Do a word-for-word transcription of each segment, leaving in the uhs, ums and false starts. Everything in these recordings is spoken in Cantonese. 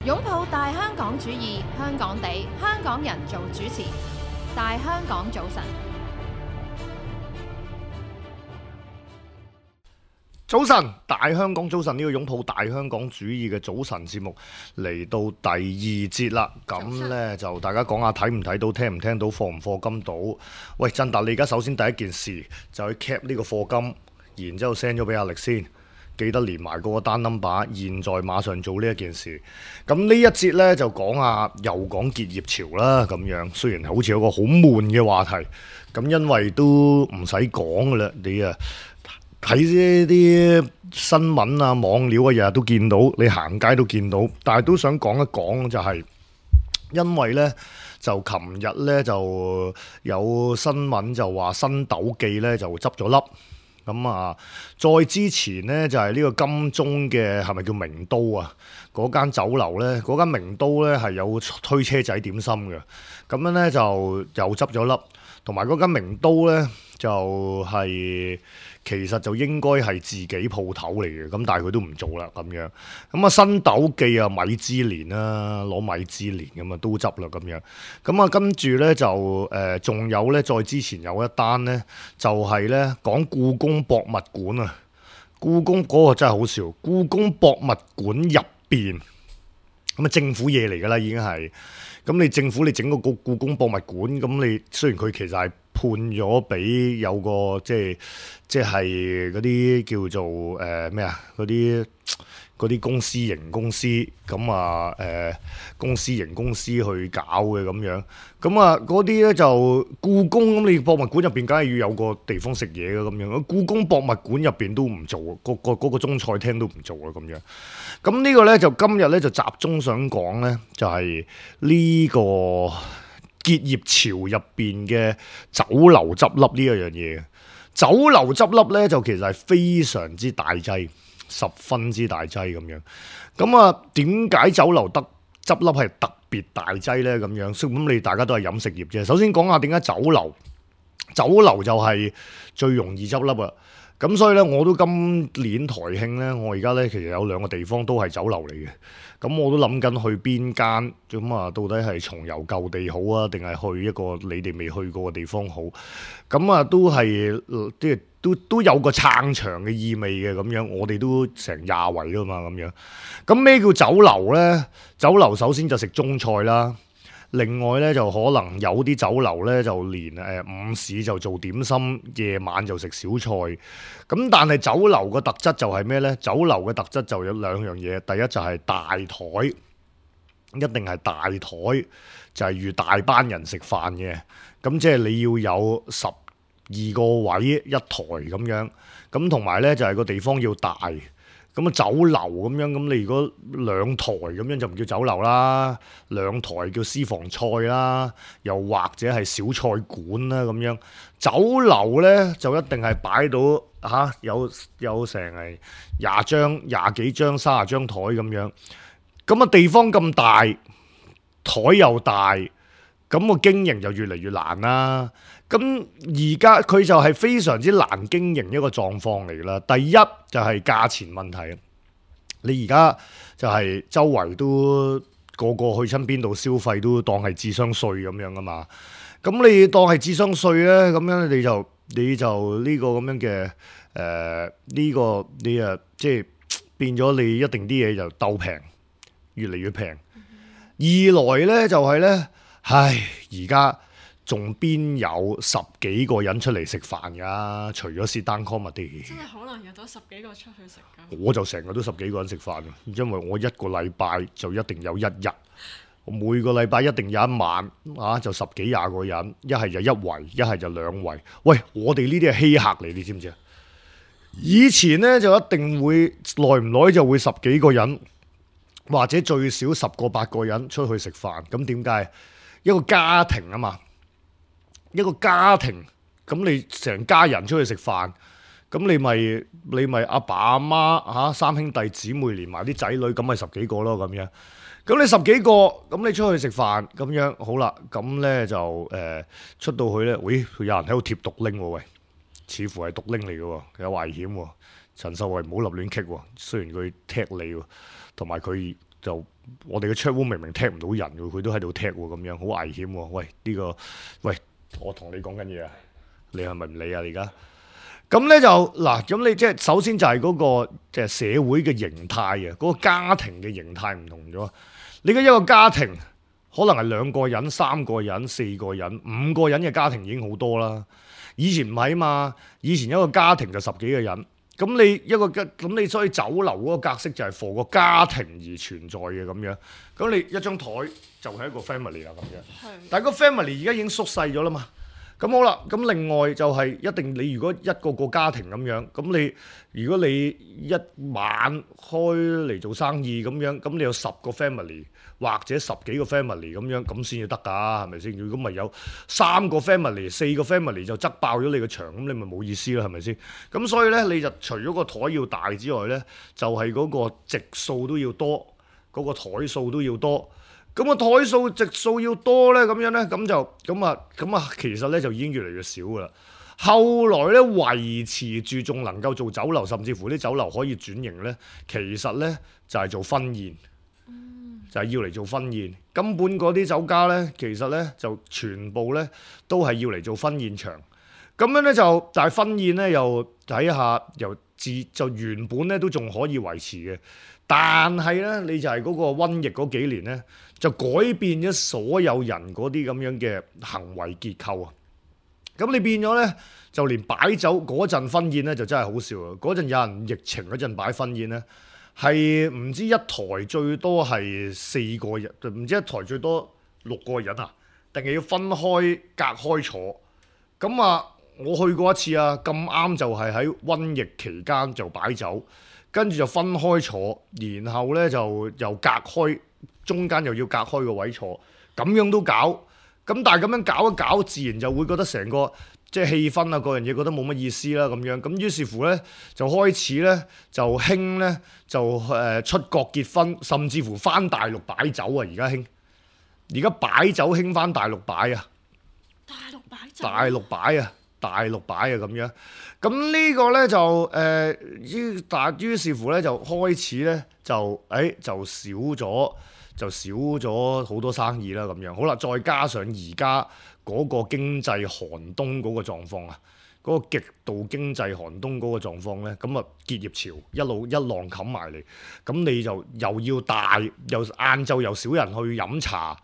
擁抱大香港主義，香港地，香港人做主持。大香港早晨，早晨，大香港早晨，呢個擁抱大香港主義嘅早晨節目嚟到第二節啦。咁呢，就大家講下睇唔睇到，聽唔聽到，課唔課金到？喂，振達，你而家首先第一件事就去 cap 呢個課金，然之後 send 咗俾阿力先。記得連埋嗰個單 number，現在馬上做呢一件事。咁呢一節呢，就講下又講結業潮啦，咁樣雖然好似有個好悶嘅話題，咁因為都唔使講噶啦，你啊睇呢啲新聞啊、網料啊，日日都見到，你行街都見到，但係都想講一講就係、是，因為呢，就琴日呢，就有新聞就話新斗記呢就執咗笠。咁啊，再之前呢，就係、是、呢個金鐘嘅係咪叫名都啊？嗰間酒樓呢，嗰間名都呢係有推車仔點心嘅，咁樣呢，就又執咗笠，同埋嗰間名都呢，就係、是、其實就應該係自己鋪頭嚟嘅，咁但係佢都唔做啦咁樣。咁啊新斗記啊米芝蓮啦，攞米芝蓮咁啊都執啦咁樣。咁啊跟住呢，就誒仲、呃、有呢，再之前有一單呢，就係、是、呢講故宮博物館啊，故宮嗰個真係好笑，故宮博物館入邊咁啊政府嘢嚟㗎啦已經係。咁你政府你整個故故宮博物館，咁你雖然佢其實係判咗俾有個即係即係嗰啲叫做誒咩啊嗰啲嗰啲公司型公司咁啊誒公司型公司去搞嘅咁樣，咁啊嗰啲咧就故宮咁你博物館入邊梗係要有個地方食嘢嘅咁樣，故宮博物館入邊都唔做，個個嗰個中菜廳都唔做啊咁樣。咁呢個咧就今日咧就集中想講咧就係呢個結業潮入邊嘅酒樓執笠呢一樣嘢。酒樓執笠咧就其實係非常之大劑，十分之大劑咁樣。咁啊點解酒樓得執笠係特別大劑咧咁樣？咁你大家都係飲食業啫。首先講下點解酒樓，酒樓就係最容易執笠啊。咁所以咧，我都今年台慶咧，我而家咧其實有兩個地方都係酒樓嚟嘅。咁我都諗緊去邊間，咁啊到底係重遊舊地好啊，定係去一個你哋未去過嘅地方好？咁啊都係即係都都有個撐場嘅意味嘅咁樣。我哋都成廿圍㗎嘛咁樣。咁咩叫酒樓咧？酒樓首先就食中菜啦。另外咧就可能有啲酒樓咧就連誒、呃、午市就做點心，夜晚就食小菜。咁但係酒樓嘅特質就係咩咧？酒樓嘅特質就有兩樣嘢，第一就係大台，一定係大台，就係預大班人食飯嘅。咁即係你要有十二個位一台咁樣，咁同埋咧就係、是、個地方要大。咁啊酒樓咁樣，咁你如果兩台咁樣就唔叫酒樓啦，兩台叫私房菜啦，又或者係小菜館啦咁樣。酒樓咧就一定係擺到嚇、啊、有有成係廿張、廿幾張、三十張台咁樣。咁啊地方咁大，台又大，咁個經營就越嚟越難啦。咁而家佢就係非常之難經營一個狀況嚟啦。第一就係價錢問題，你而家就係周圍都個個去親邊度消費都當係智商稅咁樣啊嘛。咁你當係智商稅咧，咁樣你就你就呢個咁樣嘅誒呢個你啊即係變咗你一定啲嘢就鬥平，越嚟越平。二來咧就係咧，唉而家。仲邊有十幾個人出嚟食飯㗎？除咗 sit down comedy，真係可能約到十幾個出去食㗎。我就成日都十幾個人食飯，因為我一個禮拜就一定有一日，我每個禮拜一定有一晚啊，就十幾廿個人，一係就一圍，一係就兩圍。喂，我哋呢啲係稀客嚟，你知唔知啊？以前呢，就一定會耐唔耐就會十幾個人，或者最少十個八個人出去食飯。咁點解？一個家庭啊嘛。一個家庭咁，你成家人出去食飯，咁你咪你咪阿爸阿媽嚇三兄弟姊妹連埋啲仔女，咁咪十幾個咯咁樣。咁你十幾個，咁你出去食飯咁樣好啦。咁咧就誒、呃、出到去咧，喂，有人喺度貼毒拎喎，喂，似乎係毒拎嚟嘅喎，有危險喎。陳秀慧唔好立亂棘喎，雖然佢踢你喎，同埋佢就我哋嘅 chat room 明明踢唔到人嘅，佢都喺度踢喎，咁樣好危險喎！喂，呢、這個喂，我同你講緊嘢啊，你係咪唔理啊？而家咁咧就嗱，咁你即係首先就係嗰、那個即係社會嘅形態啊，嗰、那個家庭嘅形態唔同咗。你嘅一個家庭可能係兩個人、三個人、四個人、五個人嘅家庭已經好多啦。以前唔係啊嘛，以前一個家庭就十幾個人。咁你一個咁你所以酒樓嗰個格式就係 for 個家庭而存在嘅咁樣。咁你一張台就係一個 family 啦咁樣。係。但係個 family 而家已經縮細咗啦嘛。咁好啦，咁另外就係一定你如果一個個家庭咁樣，咁你如果你一晚開嚟做生意咁樣，咁你有十個 family 或者十幾個 family 咁樣，咁先至得㗎，係咪先？如果咪有三個 family、四個 family 就側爆咗你個場，咁你咪冇意思啦，係咪先？咁所以咧，你就除咗個台要大之外咧，就係、是、嗰個席數都要多，嗰、那個台數都要多。咁個台數席數要多咧，咁樣咧，咁就咁啊，咁啊，其實咧就已經越嚟越少噶啦。後來咧維持住仲能夠做酒樓，甚至乎啲酒樓可以轉型咧，其實咧就係、是、做婚宴，嗯、就係要嚟做婚宴。根本嗰啲酒家咧，其實咧就全部咧都係要嚟做婚宴場。咁樣咧就，但係婚宴咧又睇下，由自就原本咧都仲可以維持嘅。但係咧，你就係嗰個瘟疫嗰幾年咧，就改變咗所有人嗰啲咁樣嘅行為結構啊！咁你變咗咧，就連擺酒嗰陣婚宴咧，就真係好笑啊！嗰陣有人疫情嗰陣擺婚宴咧，係唔知一台最多係四個人，唔知一台最多六個人啊？定係要分開隔開坐？咁啊，我去過一次啊，咁啱就係喺瘟疫期間就擺酒。跟住就分開坐，然後咧就又隔開，中間又要隔開個位坐，咁樣都搞。咁但係咁樣搞一搞，自然就會覺得成個即係氣氛啊，各樣嘢覺得冇乜意思啦咁樣。咁於是乎咧，就開始咧就興咧就誒、呃、出國結婚，甚至乎翻大陸擺酒啊！而家興，而家擺酒興翻大陸擺啊！大陸擺酒。大陸擺啊！大陸擺啊咁樣，咁呢個咧就誒於但於是乎咧就開始咧就誒、哎、就少咗就少咗好多生意啦咁樣。好啦，再加上而家嗰個經濟寒冬嗰個狀況啊，嗰、嗰個極度經濟寒冬嗰個狀況咧，咁啊結業潮一路一浪冚埋嚟，咁你就又要大又晏晝又少人去飲茶。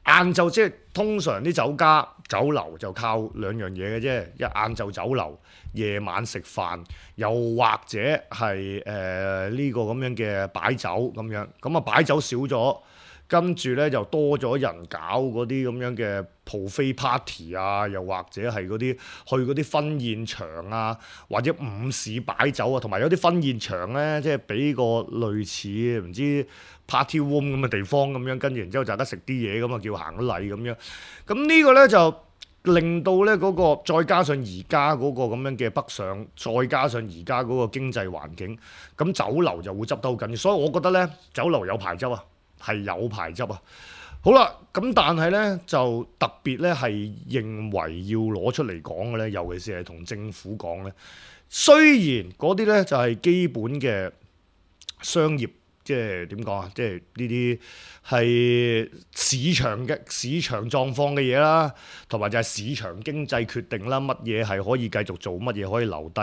晏晝即係通常啲酒家酒樓就靠兩樣嘢嘅啫，一晏晝酒樓，夜晚食飯，又或者係誒呢個咁樣嘅擺酒咁樣，咁啊擺酒少咗，跟住咧就多咗人搞嗰啲咁樣嘅 buffet party 啊，又或者係嗰啲去嗰啲婚宴場啊，或者午市擺酒啊，同埋有啲婚宴場咧，即係俾個類似唔知 party room 咁嘅地方咁樣，跟住然之後就得食啲嘢咁啊，叫行禮咁樣。咁呢個咧就令到咧嗰個再加上而家嗰個咁樣嘅北上，再加上而家嗰個經濟環境，咁酒樓就會執得好緊要。所以我覺得咧，酒樓有排執啊，係有排執啊。好啦，咁但係咧就特別咧係認為要攞出嚟講嘅咧，尤其是係同政府講咧，雖然嗰啲咧就係基本嘅商業。即係點講啊？即係呢啲係市場嘅市場狀況嘅嘢啦，同埋就係市場經濟決定啦，乜嘢係可以繼續做，乜嘢可以留低。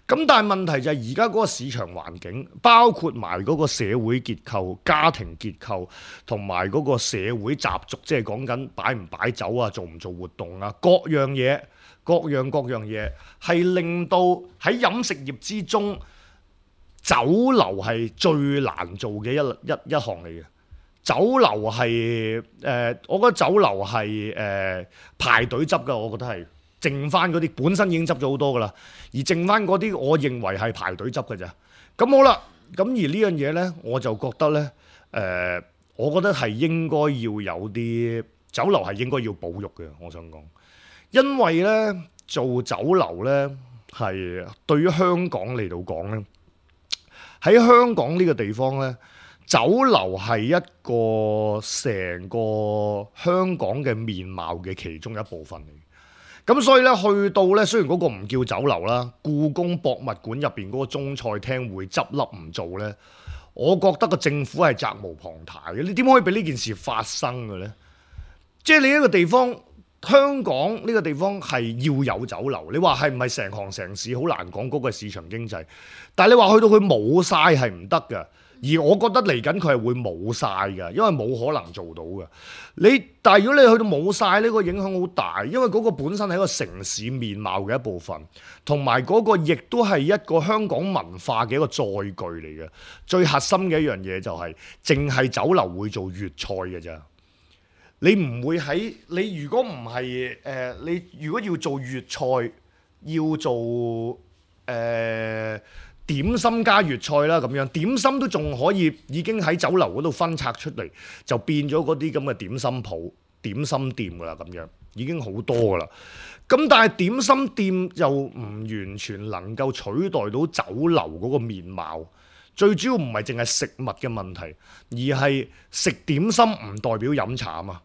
咁但係問題就係而家嗰個市場環境，包括埋嗰個社會結構、家庭結構，同埋嗰個社會習俗，即係講緊擺唔擺酒啊，做唔做活動啊，各樣嘢，各樣各樣嘢，係令到喺飲食業之中，酒樓係最難做嘅一一一項嚟嘅。酒樓係誒，我覺得酒樓係誒排隊執㗎，我覺得係剩翻嗰啲本身已經執咗好多㗎啦，而剩翻嗰啲，我認為係排隊執㗎咋。咁好啦，咁而呢樣嘢咧，我就覺得咧誒、呃，我覺得係應該要有啲酒樓係應該要保育嘅。我想講，因為咧做酒樓咧係對於香港嚟到講咧。喺香港呢個地方呢，酒樓係一個成個香港嘅面貌嘅其中一部分嚟。咁所以呢，去到呢，雖然嗰個唔叫酒樓啦，故宮博物館入邊嗰個中菜廳會執笠唔做呢，我覺得個政府係責無旁貸嘅。你點可以俾呢件事發生嘅呢？即係你一個地方，香港呢個地方係要有酒樓。你話係唔係成行成市好難講嗰個市場經濟，但係你話去到佢冇晒係唔得嘅。而我覺得嚟緊佢係會冇晒嘅，因為冇可能做到嘅。你但係如果你去到冇晒呢個影響好大，因為嗰個本身係一個城市面貌嘅一部分，同埋嗰個亦都係一個香港文化嘅一個載具嚟嘅。最核心嘅一樣嘢就係、是，淨係酒樓會做粵菜嘅咋。你唔會喺你如果唔係誒，你如果要做粵菜，要做誒。呃點心加粵菜啦，咁樣點心都仲可以，已經喺酒樓嗰度分拆出嚟，就變咗嗰啲咁嘅點心鋪、點心店噶啦，咁樣已經好多噶啦。咁但係點心店又唔完全能夠取代到酒樓嗰個面貌。最主要唔係淨係食物嘅問題，而係食點心唔代表飲茶啊嘛。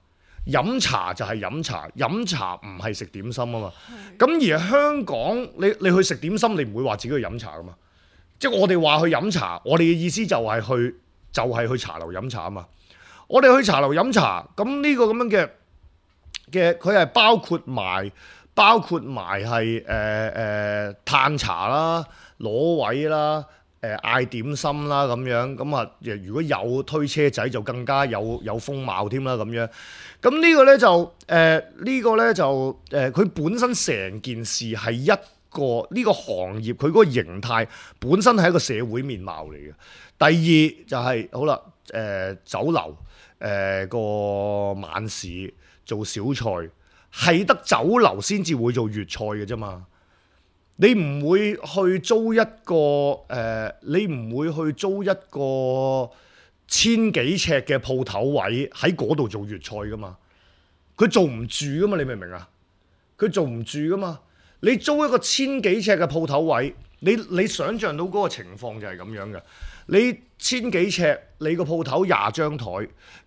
飲茶就係飲茶，飲茶唔係食點心啊嘛。咁而香港，你你去食點心，你唔會話自己去飲茶噶嘛。即係我哋話去飲茶，我哋嘅意思就係去就係、是、去茶樓飲茶啊嘛！我哋去茶樓飲茶，咁呢個咁樣嘅嘅，佢係包括埋包括埋係誒誒嘆茶啦、攞位啦、誒、呃、嗌點心啦咁樣，咁啊如果有推車仔就更加有有風貌添啦咁樣。咁呢個咧就誒、呃這個、呢個咧就誒佢、呃、本身成件事係一個呢個行業佢嗰個形態本身係一個社會面貌嚟嘅。第二就係、是、好啦，誒、呃、酒樓誒、呃、個晚市做小菜係得酒樓先至會做粵菜嘅啫嘛。你唔會去租一個誒、呃，你唔會去租一個千幾尺嘅鋪頭位喺嗰度做粵菜噶嘛。佢做唔住噶嘛，你明唔明啊？佢做唔住噶嘛。你租一個千幾尺嘅鋪頭位，你你想象到嗰個情況就係咁樣嘅。你千幾尺，你個鋪頭廿張台，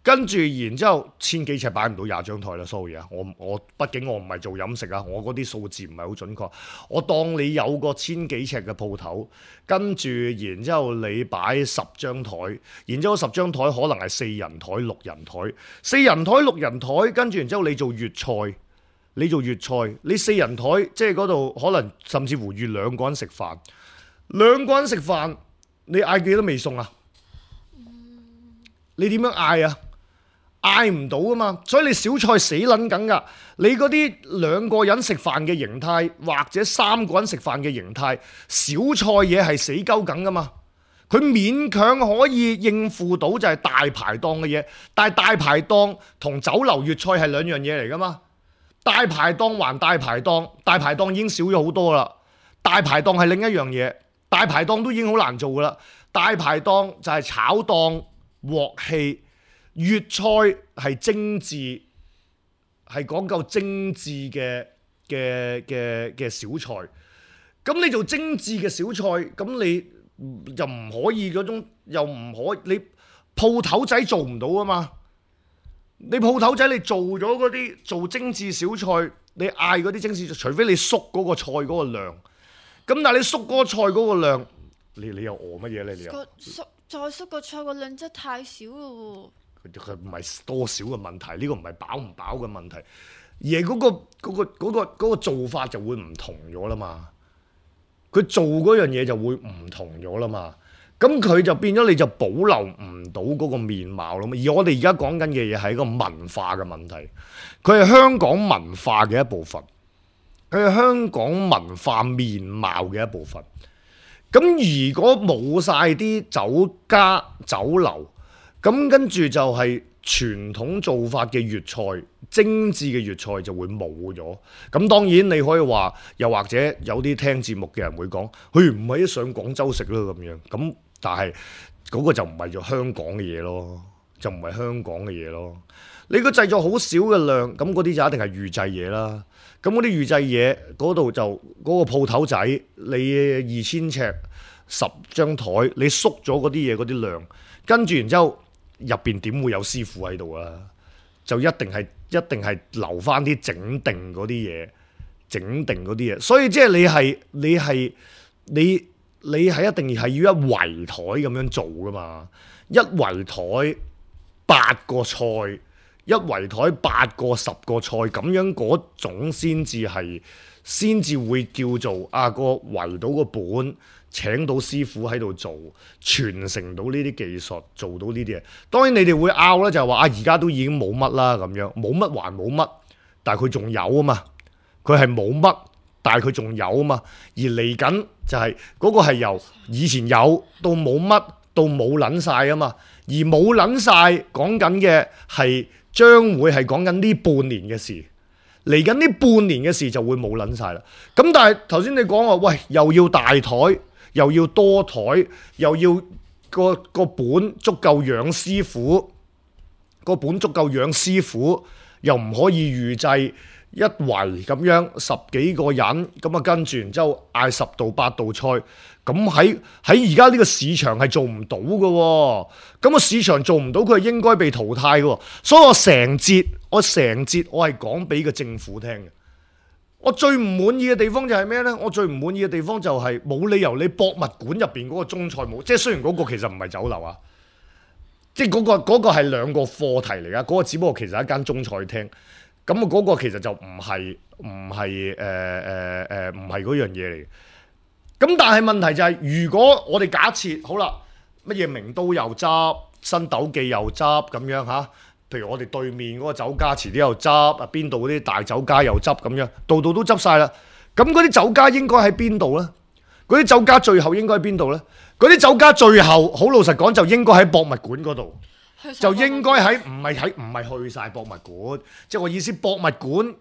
跟住然之後千幾尺擺唔到廿張台啦。sorry 啊，我我畢竟我唔係做飲食啊，我嗰啲數字唔係好準確。我當你有個千幾尺嘅鋪頭，跟住然之後你擺十張台，然之後十張台可能係四人台、六人台，四人台、六人台，跟住然之後你做粵菜。你做粵菜，你四人台，即係嗰度可能甚至乎預兩個人食飯，兩個人食飯，你嗌幾多味餸啊？你點樣嗌啊？嗌唔到噶嘛，所以你小菜死撚緊噶。你嗰啲兩個人食飯嘅形態，或者三個人食飯嘅形態，小菜嘢係死鳩緊噶嘛。佢勉強可以應付到就係大排檔嘅嘢，但係大排檔同酒樓粵菜係兩樣嘢嚟噶嘛。大排檔還大排檔，大排檔已經少咗好多啦。大排檔係另一樣嘢，大排檔都已經好難做噶啦。大排檔就係炒檔、鑊氣，粵菜係精緻，係講究精緻嘅嘅嘅嘅小菜。咁你做精緻嘅小菜，咁你又唔可以嗰種，又唔可以你鋪頭仔做唔到啊嘛。你鋪頭仔你做咗嗰啲做精緻小菜，你嗌嗰啲精緻，除非你縮嗰個菜嗰個量，咁但係你縮嗰個菜嗰個量，你你又餓乜嘢咧？你又縮再縮個菜個量真係太少咯喎！佢唔係多少嘅問題，呢、這個唔係飽唔飽嘅問題，而係嗰、那個嗰、那個嗰、那個那個做法就會唔同咗啦嘛。佢做嗰樣嘢就會唔同咗啦嘛。咁佢就變咗，你就保留唔到嗰個面貌咯。而我哋而家講緊嘅嘢係一個文化嘅問題，佢係香港文化嘅一部分，佢係香港文化面貌嘅一部分。咁如果冇晒啲酒家酒樓，咁跟住就係傳統做法嘅粵菜，精緻嘅粵菜就會冇咗。咁當然你可以話，又或者有啲聽節目嘅人會講，佢唔係一上廣州食咯咁樣。咁但係嗰個就唔係做香港嘅嘢咯，就唔係香港嘅嘢咯。你個製作好少嘅量，咁嗰啲就一定係預製嘢啦。咁嗰啲預製嘢嗰度就嗰個鋪頭仔，你二千尺十張台，你縮咗嗰啲嘢嗰啲量，跟住然之後入邊點會有師傅喺度啊？就一定係一定係留翻啲整定嗰啲嘢，整定嗰啲嘢。所以即係你係你係你。你係一定係要一圍台咁樣做噶嘛，一圍台八個菜，一圍台八個十個菜咁樣嗰種先至係，先至會叫做啊個圍到個本。請到師傅喺度做，傳承到呢啲技術，做到呢啲嘢。當然你哋會拗咧，就係話啊，而家都已經冇乜啦咁樣，冇乜還冇乜，但係佢仲有啊嘛。佢係冇乜，但係佢仲有啊嘛。而嚟緊就係嗰個係由以前有到冇乜到冇撚晒啊嘛。而冇撚晒講緊嘅係將會係講緊呢半年嘅事，嚟緊呢半年嘅事就會冇撚晒啦。咁但係頭先你講話，喂又要大台。又要多台，又要個個本足夠養師傅，個本足夠養師傅，又唔可以預製一圍咁樣十幾個人，咁啊跟住然之後嗌十道八道菜，咁喺喺而家呢個市場係做唔到嘅喎，咁個市場做唔到，佢係應該被淘汰嘅喎，所以我成節我成節我係講俾個政府聽嘅。我最唔滿意嘅地方就係咩呢？我最唔滿意嘅地方就係冇理由你博物館入邊嗰個中菜冇，即係雖然嗰個其實唔係酒樓啊，即係嗰個嗰個係兩個課題嚟噶，嗰個只不過其實係一間中菜廳，咁啊嗰個其實就唔係唔係誒誒誒唔係嗰樣嘢嚟。咁但係問題就係，如果我哋假設好啦，乜嘢名都又執，新斗記又執咁樣嚇。譬如我哋對面嗰個酒家遲啲又執，啊邊度嗰啲大酒家又執咁樣，度度都執晒啦。咁嗰啲酒家應該喺邊度呢？嗰啲酒家最後應該喺邊度呢？嗰啲酒家最後好老實講就應該喺博物館嗰度，就應該喺唔係喺唔係去晒博物館，即係我意思博物館、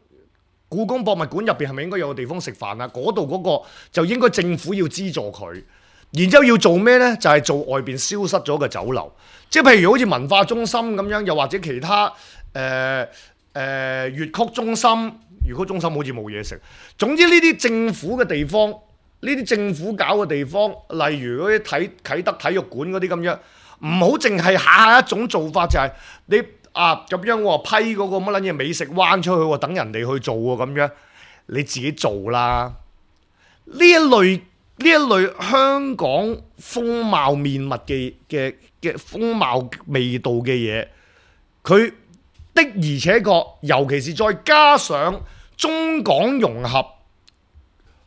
故宮博物館入邊係咪應該有個地方食飯啊？嗰度嗰個就應該政府要資助佢。然之後要做咩呢？就係、是、做外邊消失咗嘅酒樓，即係譬如好似文化中心咁樣，又或者其他誒誒粵曲中心，粵曲中心好似冇嘢食。總之呢啲政府嘅地方，呢啲政府搞嘅地方，例如嗰啲體啟德體育館嗰啲咁樣，唔好淨係下下一種做法，就係、是、你啊咁樣我批嗰個乜撚嘢美食灣出去喎，等人哋去做喎咁樣，你自己做啦。呢一類。呢一類香港風貌面目嘅嘅嘅風貌味道嘅嘢，佢的而且確，尤其是再加上中港融合、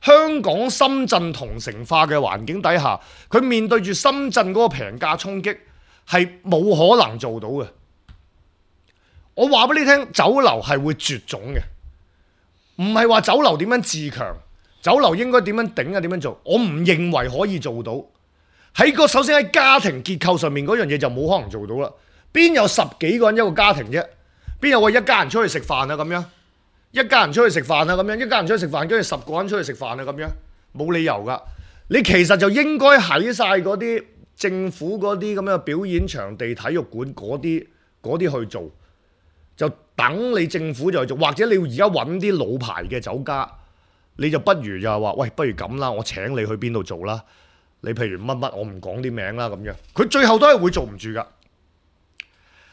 香港深圳同城化嘅環境底下，佢面對住深圳嗰個平價衝擊，係冇可能做到嘅。我話俾你聽，酒樓係會絕種嘅，唔係話酒樓點樣自強。酒樓應該點樣頂啊？點樣做？我唔認為可以做到。喺個首先喺家庭結構上面嗰樣嘢就冇可能做到啦。邊有十幾個人一個家庭啫？邊有話一家人出去食飯啊咁樣？一家人出去食飯啊咁樣？一家人出去食飯，跟住十個人出去食飯啊咁樣？冇理由噶。你其實就應該喺晒嗰啲政府嗰啲咁樣表演場地、體育館嗰啲嗰啲去做，就等你政府就去做，或者你而家揾啲老牌嘅酒家。你就不如就係話，喂，不如咁啦，我請你去邊度做啦？你譬如乜乜，我唔講啲名啦咁樣。佢最後都係會做唔住噶。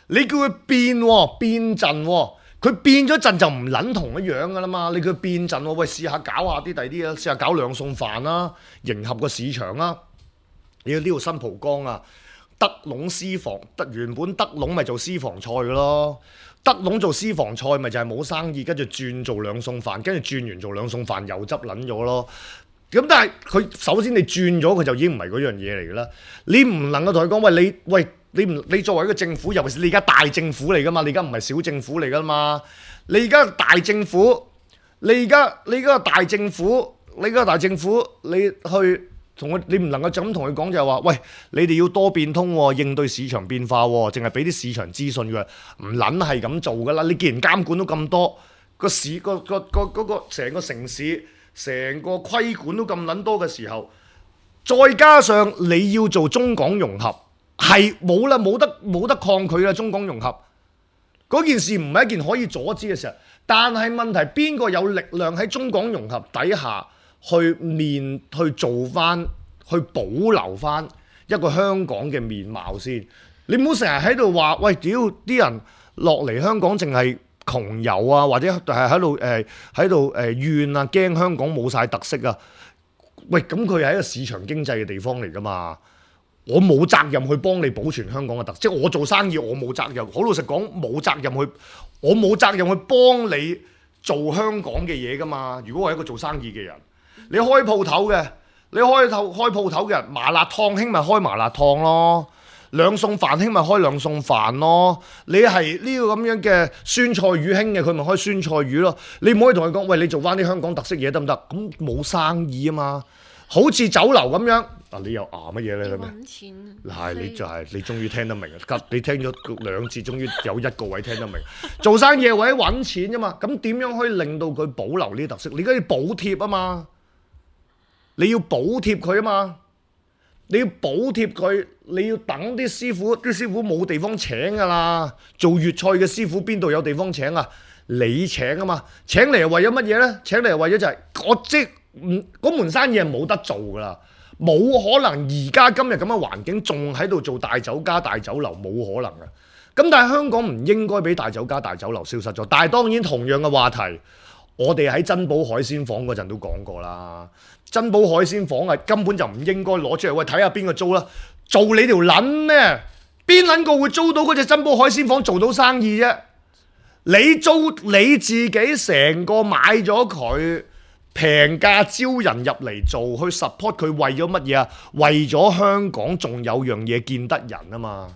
你叫佢變喎，變陣喎，佢變咗陣就唔撚同一樣噶啦嘛。你叫佢變陣喎，喂，試下搞下啲第啲啊，試下搞兩餸飯啦，迎合個市場啦。你要呢度新蒲崗啊，德籠私房，得原本德籠咪做私房菜噶咯。德籠做私房菜咪就係冇生意，跟住轉做兩餸飯，跟住轉完做兩餸飯又執撚咗咯。咁但係佢首先你轉咗佢就已經唔係嗰樣嘢嚟㗎啦。你唔能夠同佢講，喂，你喂你唔你作為一個政府，尤其是你而家大政府嚟㗎嘛，你而家唔係小政府嚟㗎嘛。你而家大政府，你而家你而家大政府，你而家大政府，你去。同佢，你唔能夠就咁同佢講就係話，喂，你哋要多變通喎，應對市場變化喎，淨係俾啲市場資訊佢，唔撚係咁做噶啦。你既然監管都咁多，個市個個個嗰個成個城市成個規管都咁撚多嘅時候，再加上你要做中港融合，係冇啦，冇得冇得抗拒啦。中港融合嗰件事唔係一件可以阻止嘅事，但係問題邊個有力量喺中港融合底下？去面去做翻，去保留翻一個香港嘅面貌先。你唔好成日喺度話，喂，屌啲人落嚟香港淨係窮遊啊，或者係喺度誒喺度誒怨啊，驚香港冇晒特色啊。喂，咁佢係一個市場經濟嘅地方嚟㗎嘛。我冇責任去幫你保存香港嘅特色，即係我做生意我冇責任。好老實講，冇責任去，我冇責任去幫你做香港嘅嘢㗎嘛。如果我係一個做生意嘅人，你開鋪頭嘅，你開頭開鋪頭嘅人，麻辣燙興咪開麻辣燙咯，兩餸飯興咪開兩餸飯咯。你係呢個咁樣嘅酸菜魚興嘅，佢咪開酸菜魚咯。你唔可以同佢講，喂，你做翻啲香港特色嘢得唔得？咁冇生意啊嘛。好似酒樓咁樣，啊你又啊乜嘢咧咁樣？揾錢。係你就係、是、你終於聽得明啊！你聽咗兩次，終於有一個位聽得明。做生意係為咗揾錢啫嘛，咁點樣可以令到佢保留呢啲特色？你而家要補貼啊嘛，你要補貼佢啊嘛，你要補貼佢，你要等啲師傅，啲師傅冇地方請㗎啦。做粵菜嘅師傅邊度有地方請啊？你請啊嘛，請嚟係為咗乜嘢咧？請嚟係為咗就係、是、我即唔嗰門生意係冇得做㗎啦，冇可能而家今日咁嘅環境仲喺度做大酒家大酒樓，冇可能嘅。咁但係香港唔應該俾大酒家大酒樓消失咗。但係當然同樣嘅話題，我哋喺珍寶海鮮舫嗰陣都講過啦。珍寶海鮮舫啊，根本就唔應該攞出嚟，喂睇下邊個租啦，做你條撚咩？邊撚個會租到嗰隻珍寶海鮮舫做到生意啫？你租你自己成個買咗佢。平價招人入嚟做，去 support 佢為咗乜嘢啊？為咗香港仲有樣嘢見得人啊嘛！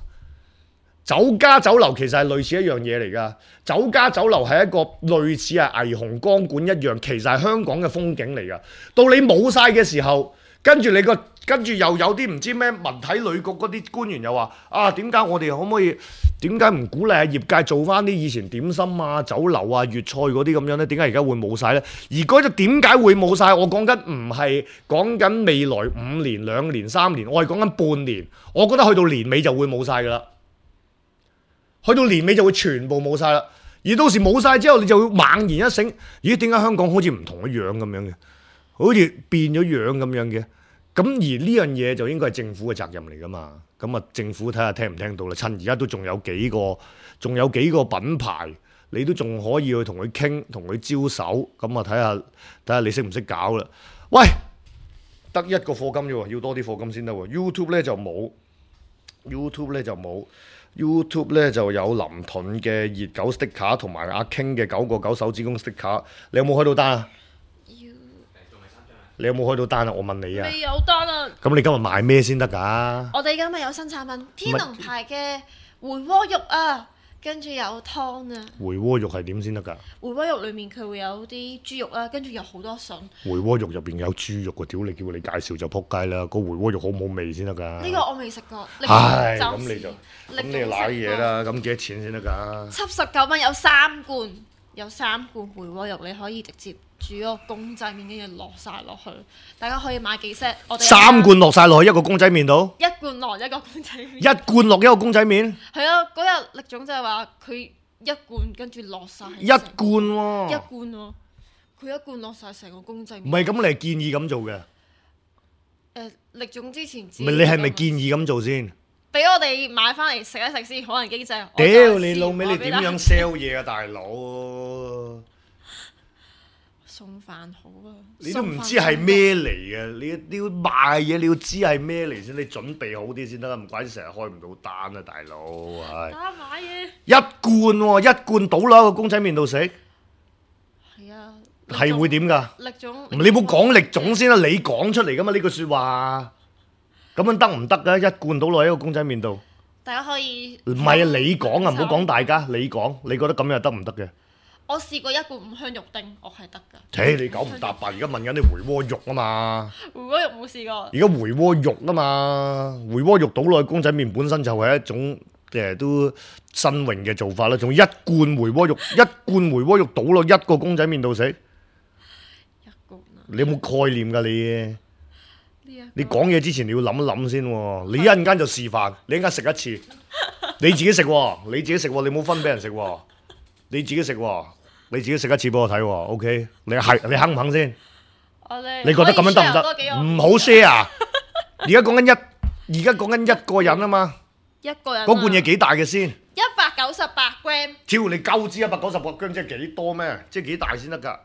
酒家酒樓其實係類似一樣嘢嚟㗎。酒家酒樓係一個類似係霓虹光管一樣，其實係香港嘅風景嚟㗎。到你冇晒嘅時候，跟住你個跟住又有啲唔知咩文體旅局嗰啲官員又話啊，點解我哋可唔可以？點解唔鼓勵下業界做翻啲以前點心啊、酒樓啊、粵菜嗰啲咁樣呢？點解而家會冇晒呢？而嗰隻點解會冇晒？我講緊唔係講緊未來五年、兩年、三年，我係講緊半年。我覺得去到年尾就會冇晒㗎啦，去到年尾就會全部冇晒啦。而到時冇晒之後，你就會猛然一醒，咦？點解香港好似唔同一樣咁樣嘅？好似變咗樣咁樣嘅？咁而呢樣嘢就應該係政府嘅責任嚟㗎嘛。咁啊，政府睇下聽唔聽到啦。趁而家都仲有幾個，仲有幾個品牌，你都仲可以去同佢傾，同佢招手。咁啊，睇下睇下你識唔識搞啦。喂，得一個課金啫喎，要多啲課金先得喎。YouTube 咧就冇 ，YouTube 咧就冇 ，YouTube 咧就有林盾嘅熱狗 sticker 同埋阿 King 嘅九個九手指公 sticker。你有冇開到單啊？你有冇開到單啊？我問你啊！未有單啊！咁你今日賣咩先得㗎？我哋今日有新產品，天龍牌嘅回鍋肉啊，跟住有湯啊。回鍋肉係點先得㗎？回鍋肉裡面佢會有啲豬肉啦，跟住有好多筍。回鍋肉入邊有豬肉喎，屌你叫你介紹就撲街啦！個回鍋肉好唔好味先得㗎？呢個我未食過。唉，咁你就咁你就賴嘢啦！咁幾多錢先得㗎？七十九蚊有三罐，有三罐回鍋肉，你可以直接煮個公仔麵，跟住落晒落去。大家可以買幾 set？我哋三罐落晒落去一個公仔麵度？一罐落一個公仔麵。一罐落一個公仔麵？係啊，嗰日力總就係話佢一罐跟住落晒。一罐喎。一罐喎，佢一罐落晒成個公仔麵。唔係咁，你係建議咁做嘅？誒，力總之前。唔係你係咪建議咁做先？俾我哋買翻嚟食一食先，可能經濟。屌你老味，你點樣 sell 嘢啊，大佬？送飯好啊！你都唔知係咩嚟嘅，你你要賣嘢，你要知係咩嚟先，你準備好啲先得啦，唔怪之成日開唔到單啊，大佬係。打買嘢。一罐喎，一罐倒落個公仔麵度食。係啊。係會點㗎？力總。你冇講力總先啦，你講出嚟㗎嘛呢句説話。咁樣得唔得㗎？一罐倒落喺個公仔麵度。大家可以。唔係啊，你講啊，唔好講大家，你講，你覺得咁樣得唔得嘅？我試過一罐五香肉丁，我係得㗎。切，你九唔搭八，而家問緊你回鍋肉啊嘛。回鍋肉冇試過。而家回鍋肉啊嘛，回鍋肉倒落去公仔麵本身就係一種誒都新穎嘅做法啦。仲一罐回鍋肉，一罐回鍋肉倒落一個公仔麵度食。一罐啊！你有冇概念㗎你？你講嘢之前你要諗一諗先喎。你一陣間就示範，你一陣間食一次，你自己食喎，你自己食喎，你冇分俾人食喎，你自己食喎。你自己食一次俾我睇喎 ，OK？ 你係你肯唔肯先？你覺得咁樣得唔得？唔好 share。而家講緊一，而家講緊一個人啊嘛。一個人。嗰罐嘢幾大嘅先？一百九十八 gram。挑你鳩支一百九十八 gram 即係幾多咩？即係幾大先得㗎？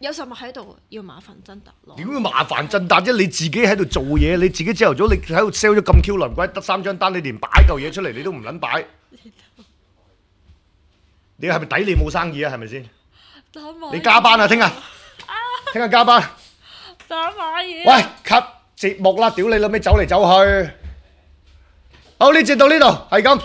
有實物喺度，要麻煩真達咯。點會麻煩震達啫？你自己喺度做嘢，你自己朝頭早你喺度 sell 咗咁 Q 輪鬼，得三張單，你連擺嚿嘢出嚟你都唔撚擺，你係咪抵你冇生意啊？係咪先？你加班啊！聽日，聽日加班。打買嘢。喂，cut 節目啦！屌你老味，走嚟走去。好，呢節到呢度，係咁。